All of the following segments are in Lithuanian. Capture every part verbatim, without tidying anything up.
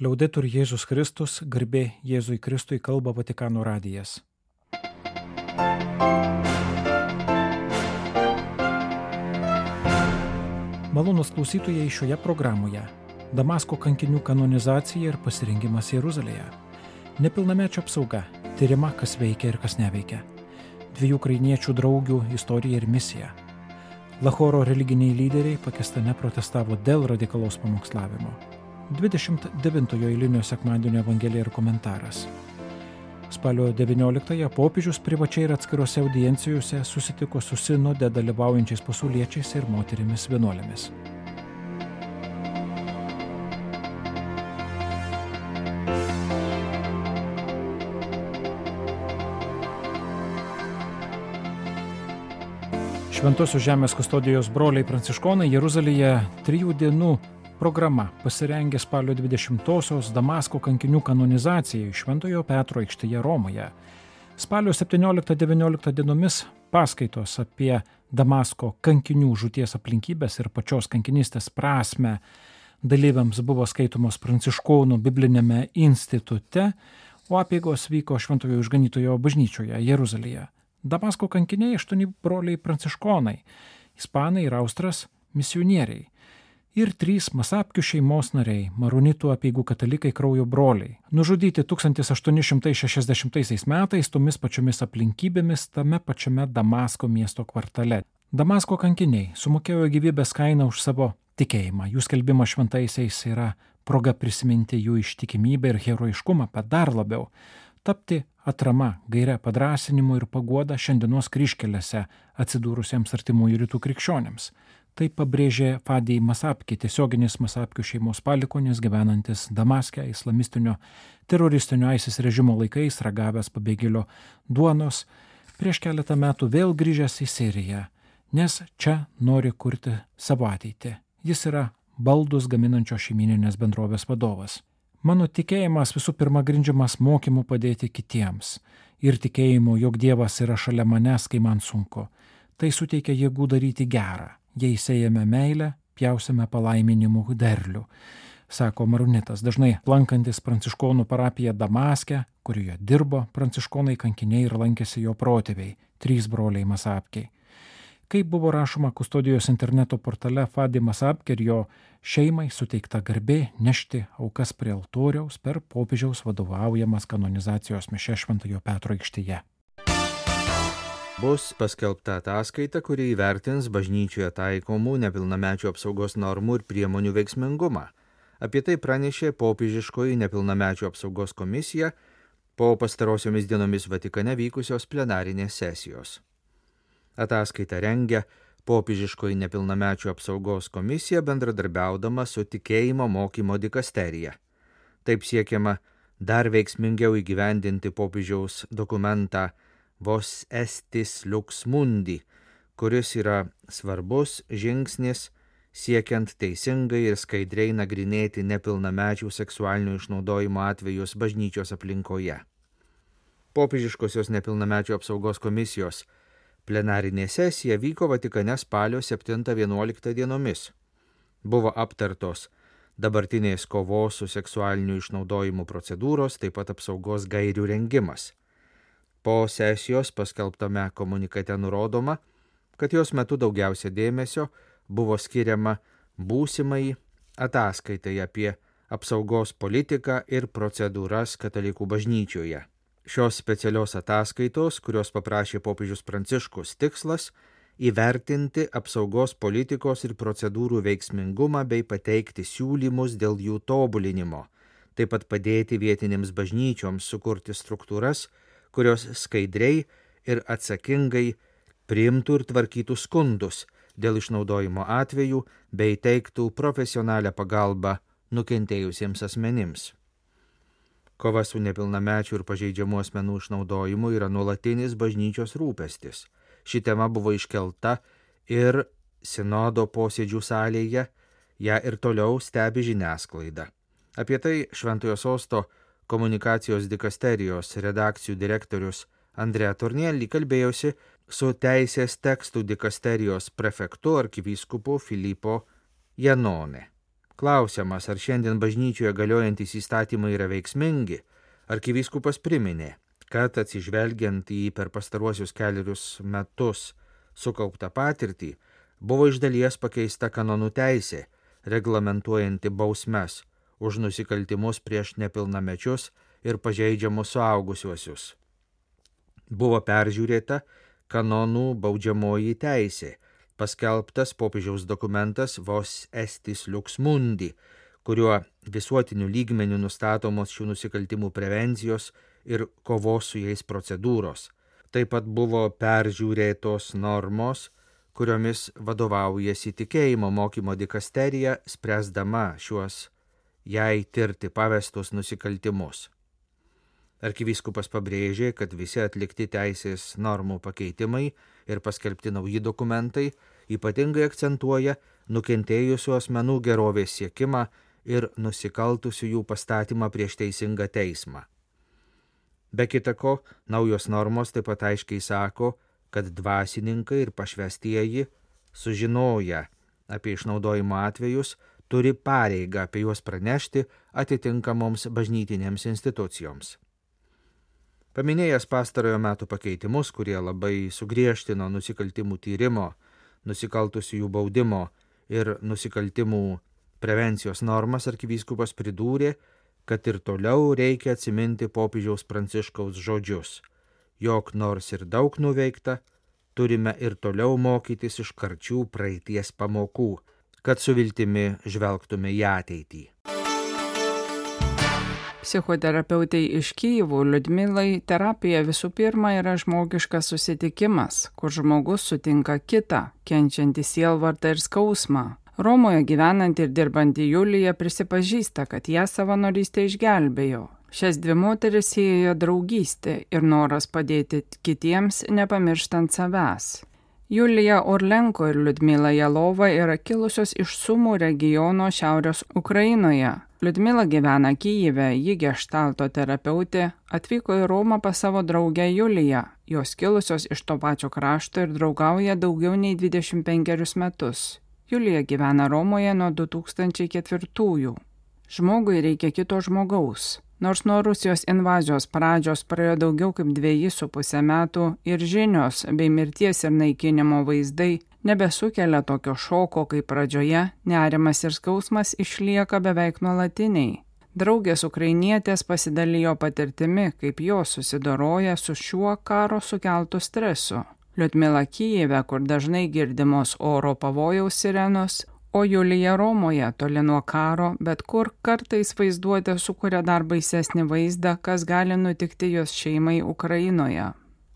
Liaudetur Jėzus Kristus, garbė Jėzui Kristui, kalba Vatikano radijas. Malonūs klausytojai, šioje programoje Damasko kankinių kanonizacija ir pasirengimas Jeruzalėje. Nepilnamečio apsauga, tyrima, kas veikia ir kas neveikia. Dviejų ukrainiečių draugių istorija ir misija. Lahoro religiniai lyderiai Pakistane protestavo dėl radikalaus pamokslavimo. dvidešimt devintojo eilinio sekmadienio evangelija ir komentaras. Spalio devynioliktąją popiežius privačiai ir atskirose audiencijose susitiko su sinode dalyvaujančiais pasauliečiais ir moterimis vienuolėmis. Šventosios žemės kustodijos broliai pranciškonai Jeruzalėje trijų dienų programa pasirengė spalio dvidešimtosios Damasko kankinių kanonizacijai Šventojo Petro aikštėje Romoje. Spalio septynioliktą devynioliktą dienomis paskaitos apie Damasko kankinių žūties aplinkybės ir pačios kankinystės prasmę dalyviams buvo skaitomos Pranciškonų biblinėme institute, o apeigos vyko Šventojo Išganytojo bažnyčioje Jeruzalėje. Damasko kankiniai aštuoni broliai pranciškonai, ispanai ir austras misionieriai. Ir trys Masapkių šeimos nariai, maronitų apeigų katalikai kraujo broliai, nužudyti tūkstantis aštuoni šimtai šešiasdešimtaisiais metais tomis pačiomis aplinkybėmis tame pačiame Damasko miesto kvartale. Damasko kankiniai sumokėjo gyvybės kainą už savo tikėjimą. Jų skelbimas šventaisiais yra proga prisiminti jų ištikimybę ir herojiškumą, bet dar labiau tapti atrama, gaire padrąsinimu ir paguoda šiandienos kryžkelėse atsidūrusiems artimųjų rytų krikščionėms. Tai pabrėžė Fadij Masapki, tiesioginis Masapkių šeimos palikuonis gyvenantis Damaske islamistinio teroristinio ISIS režimo laikais, ragavęs pabėgėlio duonos, prieš keletą metų vėl grįžęs į Siriją, nes čia nori kurti savo ateitį. Jis yra baldus gaminančios šeimyninės bendrovės vadovas. Mano tikėjimas visų pirma grindžiamas mokymu padėti kitiems ir tikėjimu, jog Dievas yra šalia manęs, kai man sunku. Tai suteikia jėgų daryti gerą. Jei sėjame meilę, pjausime palaiminimų derlių, sako maronitas, dažnai lankantis pranciškonų parapiją Damaske, kurioje dirbo pranciškonai kankiniai ir lankėsi jo protėviai, trys broliai Masapkiai. Kaip buvo rašoma kustodijos interneto portale, Fadij Masapki ir jo šeimai suteikta garbė nešti aukas prie altoriaus per popiežiaus vadovaujamas kanonizacijos mišias Šventojo Petro aikštėje. Bus paskelbta ataskaita, kuri įvertins bažnyčioje taikomų nepilnamečių apsaugos normų ir priemonių veiksmingumą. Apie tai pranešė popiežiškoji nepilnamečių apsaugos komisija po pastarosiomis dienomis Vatikane vykusios plenarinės sesijos. Ataskaitą rengia popiežiškoji nepilnamečių apsaugos komisija bendradarbiaudama su tikėjimo mokymo dikasterija. Taip siekiama dar veiksmingiau įgyvendinti popiežiaus dokumentą Vos estis lux mundi, kuris yra svarbus žingsnis siekiant teisingai ir skaidriai nagrinėti nepilnamečių seksualinio išnaudojimo atvejus bažnyčios aplinkoje. Popiežiškosios nepilnamečių apsaugos komisijos plenarinė sesija vyko Vatikane spalio septintą vienuoliktą dienomis. Buvo aptartos dabartinės kovos su seksualiniu išnaudojimu procedūros, taip pat apsaugos gairių rengimas. Po sesijos paskelbtame komunikate nurodoma, kad jos metu daugiausia dėmesio buvo skiriama būsimai ataskaitai apie apsaugos politiką ir procedūras katalikų bažnyčioje. Šios specialios ataskaitos, kurios paprašė popiežius Pranciškus, tikslas įvertinti apsaugos politikos ir procedūrų veiksmingumą bei pateikti siūlymus dėl jų tobulinimo, taip pat padėti vietinėms bažnyčioms sukurti struktūras, kurios skaidriai ir atsakingai priimtų ir tvarkytų skundus dėl išnaudojimo atvejų bei teiktų profesionalią pagalbą nukentėjusiems asmenims. Kova su nepilnamečių ir pažeidžiamų asmenų išnaudojimu yra nuolatinis bažnyčios rūpestis. Ši tema buvo iškelta ir sinodo posėdžių salėje, ją ir toliau stebi žiniasklaida. Apie tai Šventojo Sosto komunikacijos dikasterijos redakcijų direktorius Andrea Tornielli kalbėjosi su teisės tekstų dikasterijos prefektu arkivyskupu Filipo Janone. Klausiamas, ar šiandien bažnyčioje galiojantys įstatymai yra veiksmingi, arkivyskupas priminė, kad atsižvelgiant į per pastaruosius keliarius metus sukauptą patirtį, buvo iš dalies pakeista kanonų teisė, reglamentuojanti bausmes už nusikaltimus prieš nepilnamečius ir pažeidžiamus suaugusiuosius. Buvo peržiūrėta kanonų baudžiamoji teisė, paskelbtas popiežiaus dokumentas Vos Estis Lux Mundi, kuriuo visuotiniu lygmeniu nustatomos šių nusikaltimų prevencijos ir kovos su jais procedūros. Taip pat buvo peržiūrėtos normos, kuriomis vadovaujasi tikėjimo mokymo dikasterija, spręsdama šiuos jai tirti pavestus nusikaltimus. Arkivyskupas pabrėžė, kad visi atlikti teisės normų pakeitimai ir paskelbti nauji dokumentai ypatingai akcentuoja nukentėjusių asmenų gerovės siekimą ir nusikaltusių jų pastatymą prieš teisingą teismą. Be kita ko, naujos normos taip pat aiškiai sako, kad dvasininkai ir pašvestieji, sužinoję apie išnaudojimo atvejus, turi pareigą apie juos pranešti atitinkamoms bažnytinėms institucijoms. Paminėjęs pastarojo metų pakeitimus, kurie labai sugriežtino nusikaltimų tyrimo, nusikaltusiųjų baudimo ir nusikaltimų prevencijos normas, arkivyskupas pridūrė, kad ir toliau reikia atsiminti popiežiaus Pranciškaus žodžius, jog nors ir daug nuveikta, turime ir toliau mokytis iš karčių praeities pamokų, kad su viltimi žvelgtume į ateitį. Psichoterapeutei iš Kyjivo Liudmilai terapija visų pirma yra žmogiškas susitikimas, kur žmogus sutinka kitą, kenčiantį sielvartą ir skausmą. Romoje gyvenanti ir dirbanti Julija prisipažįsta, kad ją savanorystė išgelbėjo. Šias dvi moteris siejo draugystė ir noras padėti kitiems, nepamirštant savęs. Julija Orlenko ir Liudmila Jalova yra kilusios iš Sumų regiono šiaurės Ukrainoje. Liudmila gyvena Kyjive, ji geštalto terapeutė, atvyko į Romą pas savo draugę Juliją. Jos kilusios iš to pačio krašto ir draugauja daugiau nei dvidešimt penkerius metus. Julija gyvena Romoje nuo du tūkstančiai ketvirtųjų. Žmogui reikia kito žmogaus. Nors nuo Rusijos invazijos pradžios praėjo daugiau kaip dviejų su pusę metų ir žinios bei mirties ir naikinimo vaizdai nebesukelia tokio šoko kaip pradžioje, nerimas ir skausmas išlieka beveik nuolatiniai. Draugės ukrainietės pasidalijo patirtimi, kaip jos susidoroja su šiuo karo sukeltu stresu. Liudmila Kyjive, kur dažnai girdimos oro pavojaus sirenos, o Julija Romoje, toli nuo karo, bet kur kartais vaizduotė sukuria dar baisesnį vaizdą, kas gali nutikti jos šeimai Ukrainoje.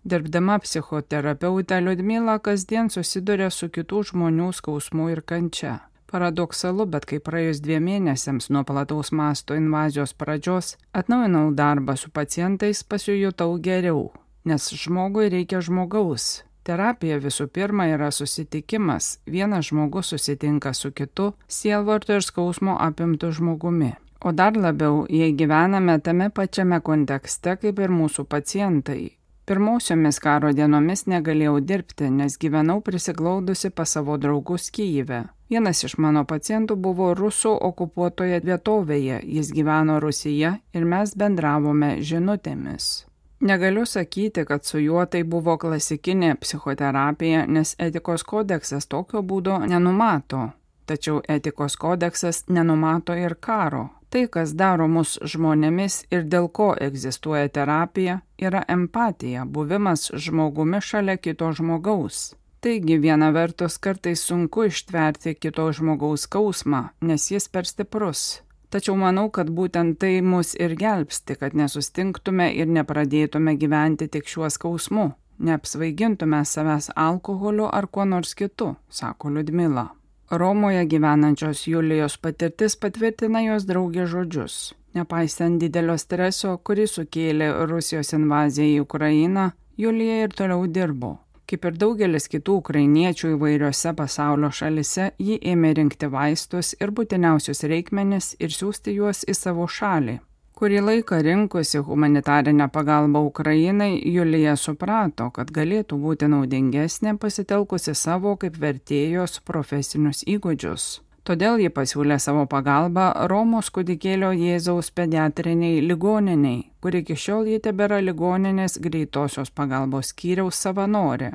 Dirbdama psichoterapeutė, Liudmila kasdien susiduria su kitų žmonių skausmu ir kančia. Paradoksalu, bet kai praėjus dviem mėnesiams nuo plataus masto invazijos pradžios, atnaujinau darbą su pacientais, pasijutau geriau, nes žmogui reikia žmogaus. Terapija visų pirma yra susitikimas. Vienas žmogus susitinka su kitu, sielvarto ir skausmo apimtu žmogumi. O dar labiau, jei gyvename tame pačiame kontekste kaip ir mūsų pacientai. Pirmausiomis karo dienomis negalėjau dirbti, nes gyvenau prisiglaudusi pas savo draugus Kyjive. Vienas iš mano pacientų buvo rusų okupuotoje vietovėje, jis gyveno Rusijoje ir mes bendravome žinutėmis. Negaliu sakyti, kad su juo tai buvo klasikinė psichoterapija, nes etikos kodeksas tokio būdo nenumato. Tačiau etikos kodeksas nenumato ir karo. Tai, kas daro mus žmonėmis ir dėl ko egzistuoja terapija, yra empatija, buvimas žmogumi šalia kito žmogaus. Taigi, viena vertus kartais sunku ištverti kito žmogaus skausmą, nes jis per stiprus. Tačiau manau, kad būtent tai mus ir gelbsti, kad nesustingtume ir nepradėtume gyventi tik šiuo skausmu, neapsvaigintume savęs alkoholiu ar kuo nors kitu, sako Liudmila. Romoje gyvenančios Julijos patirtis patvirtina jos draugės žodžius. Nepaisant didelio streso, kurį sukėlė Rusijos invazija į Ukrainą, Julija ir toliau dirbo. Kaip ir daugelis kitų ukrainiečių įvairiose pasaulio šalise, ji ėmė rinkti vaistus ir būtiniausius reikmenis ir siųsti juos į savo šalį. Kurį laiką rinkusi humanitarinę pagalbą Ukrainai, Julija suprato, kad galėtų būti naudingesnė pasitelkusi savo kaip vertėjos profesinius įgūdžius. Todėl ji pasiūlė savo pagalbą Romos kūdikėlio Jėzaus pediatriniai ligoniniai, kur iki šiol ji tebėra ligoninės greitosios pagalbos skyriaus savanorė.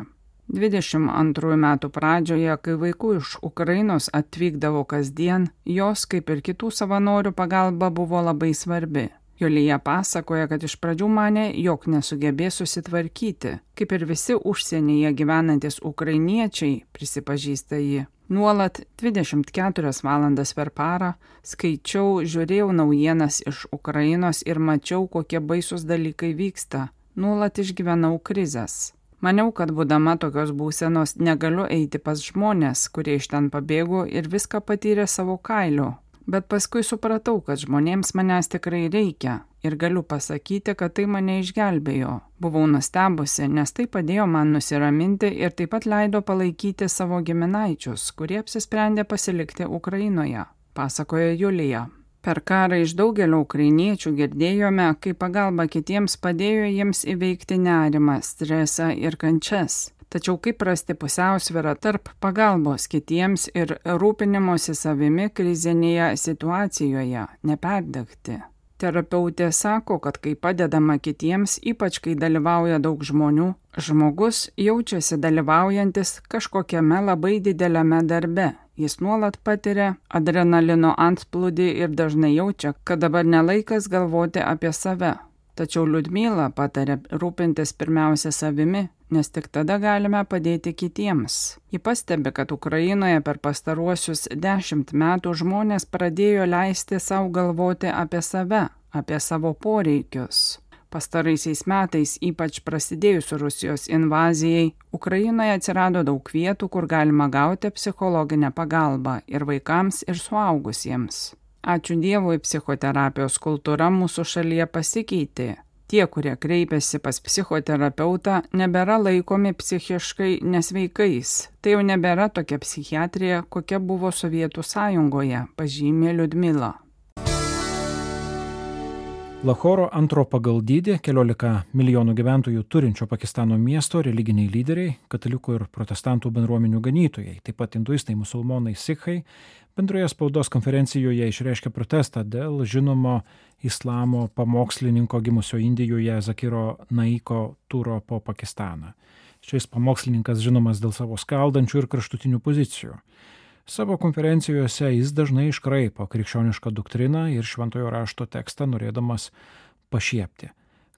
dvidešimt antrųjų metų pradžioje, kai vaikų iš Ukrainos atvykdavo kasdien, jos, kaip ir kitų savanorių, pagalba buvo labai svarbi. Julija pasakoja, kad iš pradžių manė, jog nesugebės susitvarkyti, kaip ir visi užsienyje gyvenantis ukrainiečiai, prisipažįsta ji. Nuolat dvidešimt keturias valandas per parą skaičiau, žiūrėjau naujienas iš Ukrainos ir mačiau, kokie baisus dalykai vyksta. Nuolat išgyvenau krizes. Maniau, kad būdama tokios būsenos negaliu eiti pas žmonės, kurie iš ten pabėgo ir viską patyrė savo kailiu. Bet paskui supratau, kad žmonėms manęs tikrai reikia ir galiu pasakyti, kad tai mane išgelbėjo. Buvau nustebusi, nes tai padėjo man nusiraminti ir taip pat leido palaikyti savo giminaičius, kurie apsisprendė pasilikti Ukrainoje, pasakoja Julija. Per karą iš daugelio ukrainiečių girdėjome, kaip pagalba kitiems padėjo jiems įveikti nerimą, stresą ir kančias. Tačiau kaip rasti pusiausvyrą tarp pagalbos kitiems ir rūpinimosi savimi krizinėje situacijoje, neperdegti. Terapeutė sako, kad kai padedama kitiems, ypač kai dalyvauja daug žmonių, žmogus jaučiasi dalyvaujantis kažkokiame labai dideliame darbe. Jis nuolat patiria adrenalino antplūdį ir dažnai jaučia, kad dabar nelaikas galvoti apie save. Tačiau Liudmila patarė rūpintis pirmiausia savimi, nes tik tada galime padėti kitiems. Ji pastebi, kad Ukrainoje per pastaruosius dešimt metų žmonės pradėjo leisti savo galvoti apie save, apie savo poreikius. Pastaraisiais metais, ypač prasidėjus Rusijos invazijai, Ukrainoje atsirado daug vietų, kur galima gauti psichologinę pagalbą ir vaikams, ir suaugusiems. Ačiū Dievui, psichoterapijos kultūra mūsų šalyje pasikeitė. Tie, kurie kreipiasi pas psichoterapeutą, nebėra laikomi psichiškai nesveikais. Tai jau nebėra tokia psichiatrija, kokia buvo Sovietų sąjungoje, pažymė Liudmila. Lahoro antro pagal dydį, keliolika milijonų gyventojų turinčio Pakistano miesto religiniai lyderiai, katalikų ir protestantų bendruomenių ganytojai, taip pat hinduistai, musulmonai, sikhai, bendroje spaudos konferencijoje išreiškė protestą dėl žinomo islamo pamokslininko gimusio Indijoje Zakiro Naiko turo po Pakistaną. Šis pamokslininkas žinomas dėl savo skaldančių ir kraštutinių pozicijų. Savo konferencijose jis dažnai iškraipo krikščionišką doktriną ir šventojo rašto tekstą, norėdamas pašiepti.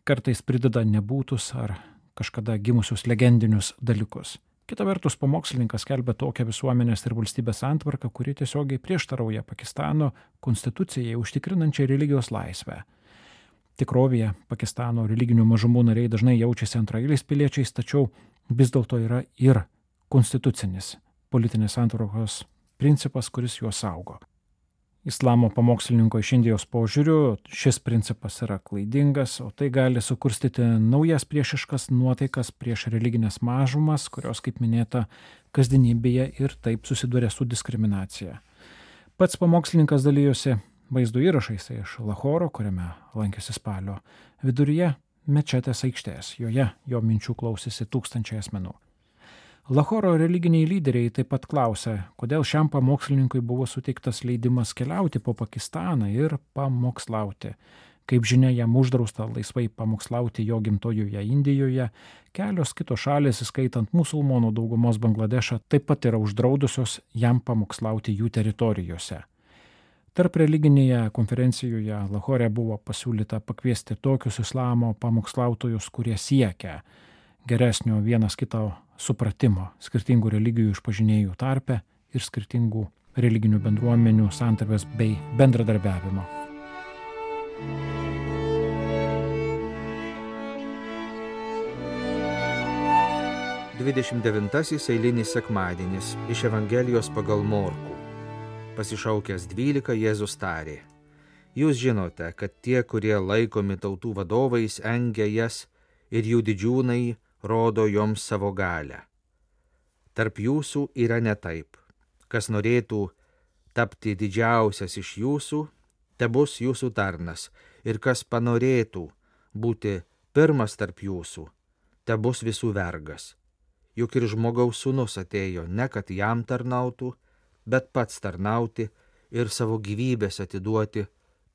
Kartais prideda nebūtus ar kažkada gimusius legendinius dalykus. Kita vertus, pamokslininkas skelbia tokią visuomenės ir valstybės santvarką, kuri tiesiogiai prieštarauja Pakistano konstitucijai užtikrinančiai religijos laisvę. Tikrovėje Pakistano religinių mažumų nariai dažnai jaučiasi antraeiliais piliečiais, tačiau vis dėlto yra ir konstitucinis politinės santvarkos principas, kuris juos saugo. Islamo pamokslininko iš Indijos požiūriu šis principas yra klaidingas, o tai gali sukurstyti naujas priešiškas nuotaikas prieš religinės mažumas, kurios, kaip minėta, kasdienybėje ir taip susiduria su diskriminacija. Pats pamokslininkas dalyjosi vaizdo įrašais iš Lahoro, kuriame lankėsi spalio viduryje mečetės aikštės. Joje jo minčių klausėsi tūkstančiai asmenų. Lahoro religiniai lyderiai taip pat klausė, kodėl šiam pamokslininkui buvo suteiktas leidimas keliauti po Pakistaną ir pamokslauti. Kaip žinia, jam uždrausta laisvai pamokslauti jo gimtojoje Indijoje, kelios kitos šalys, įskaitant musulmonų daugumos Bangladešą, taip pat yra uždraudusios jam pamokslauti jų teritorijose. Tarp religinėje konferencijoje Lahore buvo pasiūlyta pakviesti tokius islamo pamokslautojus, kurie siekia geresnio vienas kito supratimo, skirtingų religijų išpažinėjų tarpe ir skirtingų religinių bendruomenių santarvės bei bendradarbiavimo. dvidešimt devintasis eilinis sekmadienis iš Evangelijos pagal Morkų. Pasišaukęs dvylika, Jėzus tarė: Jūs žinote, kad tie, kurie laikomi tautų vadovais, engia jas ir jų didžiūnai rodo joms savo galią. Tarp jūsų yra ne taip. Kas norėtų tapti didžiausias iš jūsų, tebus jūsų tarnas, ir kas panorėtų būti pirmas tarp jūsų, tebus visų vergas. Juk ir žmogaus sūnus atėjo ne kad jam tarnautų, bet pats tarnauti ir savo gyvybės atiduoti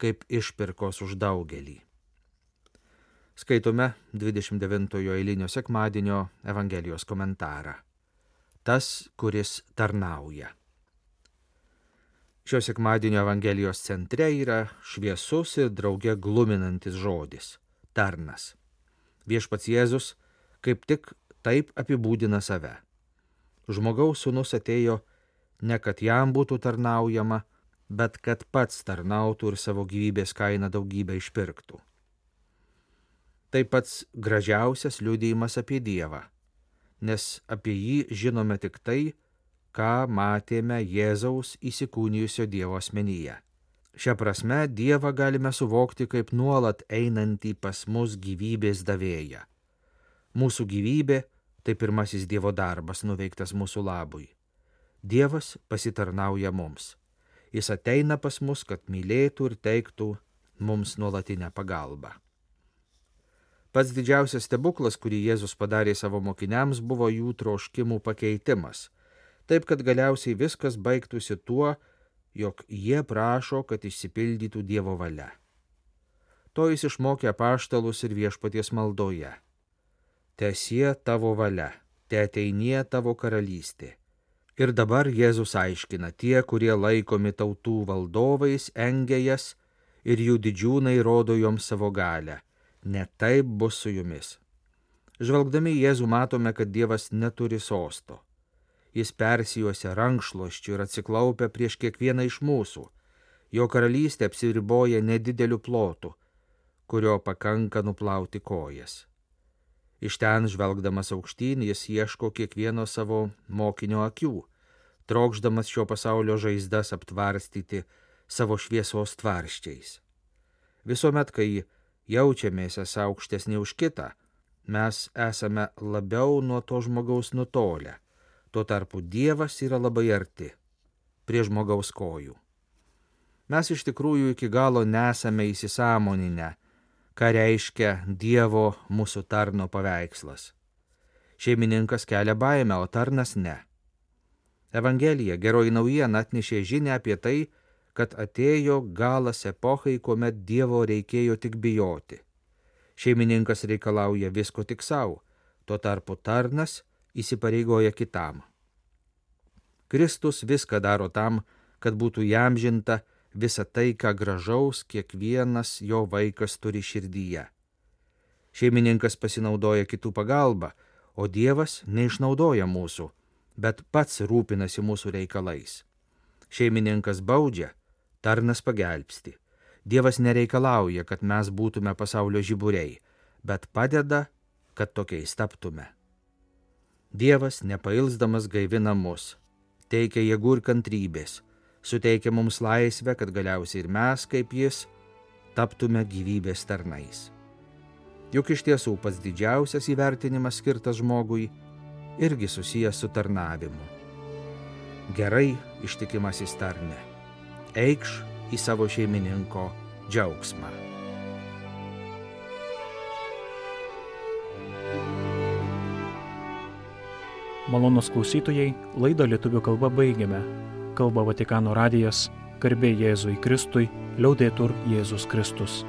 kaip išpirkos už daugelį. Skaitome dvidešimt devintojo eilinio sekmadienio Evangelijos komentarą. Tas, kuris tarnauja. Šio sekmadienio Evangelijos centre yra šviesus ir drauge gluminantis žodis – tarnas. Viešpats Jėzus kaip tik taip apibūdina save. Žmogaus sūnus atėjo ne kad jam būtų tarnaujama, bet kad pats tarnautų ir savo gyvybės kainą daugybę išpirktų. Tai pats gražiausias liudijimas apie Dievą, nes apie jį žinome tik tai, ką matėme Jėzaus įsikūnijusio Dievo asmenyje. Šia prasme Dievą galime suvokti kaip nuolat einantį pas mus gyvybės davėją. Mūsų gyvybė tai pirmasis Dievo darbas nuveiktas mūsų labui. Dievas pasitarnauja mums. Jis ateina pas mus, kad mylėtų ir teiktų mums nuolatinę pagalbą. Pats didžiausias stebuklas, kurį Jėzus padarė savo mokiniams, buvo jų troškimų pakeitimas, taip kad galiausiai viskas baigtųsi tuo, jog jie prašo, kad išsipildytų Dievo valia. To jis išmokė apaštalus ir viešpaties maldoje. Teesie tavo valia, teateinie tavo karalystė. Ir dabar Jėzus aiškina, tie, kurie laikomi tautų valdovais, engia jas ir jų didžiūnai rodo joms savo galią. Ne taip bus su jumis. Žvelgdami į Jėzų matome, kad Dievas neturi sosto. Jis persijuosia rankšluosčiu ir atsiklaupia prieš kiekvieną iš mūsų. Jo karalystė apsiriboja nedideliu plotu, kurio pakanka nuplauti kojas. Iš ten žvelgdamas aukštyn, jis ieško kiekvieno savo mokinio akių, trokšdamas šio pasaulio žaizdas aptvarstyti savo šviesos tvarščiais. Visuomet, kai jaučiamės esą aukštesni už kitą, mes esame labiau nuo to žmogaus nutolę. Tuo tarpu Dievas yra labai arti, prie žmogaus kojų. Mes iš tikrųjų iki galo nesame įsisąmoninę, ką reiškia Dievo mūsų tarno paveikslas. Šeimininkas kelia baimę, o tarnas ne. Evangelija, geroji naujiena, atnešė žinią apie tai, kad atėjo galas epochai, kuomet Dievo reikėjo tik bijoti. Šeimininkas reikalauja visko tik savo, tuo tarpu tarnas įsipareigoja kitam. Kristus viską daro tam, kad būtų įamžinta visa tai, ką gražaus kiekvienas jo vaikas turi širdyje. Šeimininkas pasinaudoja kitų pagalbą, o Dievas neišnaudoja mūsų, bet pats rūpinasi mūsų reikalais. Šeimininkas baudžia, tarnas pagelbsti. Dievas nereikalauja, kad mes būtume pasaulio žiburiai, bet padeda, kad tokiais taptume. Dievas nepailsdamas gaivina mus, teikia jėgų ir kantrybės, suteikia mums laisvę, kad galiausiai ir mes, kaip jis, taptume gyvybės tarnais. Juk iš tiesų pats didžiausias įvertinimas skirtas žmogui irgi susijęs su tarnavimu. Gerai, ištikimasis tarne, eikš į savo šeimininko džiaugsmą. Malonūs klausytojai, laidą lietuvių kalba baigiame. Kalba Vatikano radijas, garbė Jėzui Kristui, liaudetur Jėzus Kristus.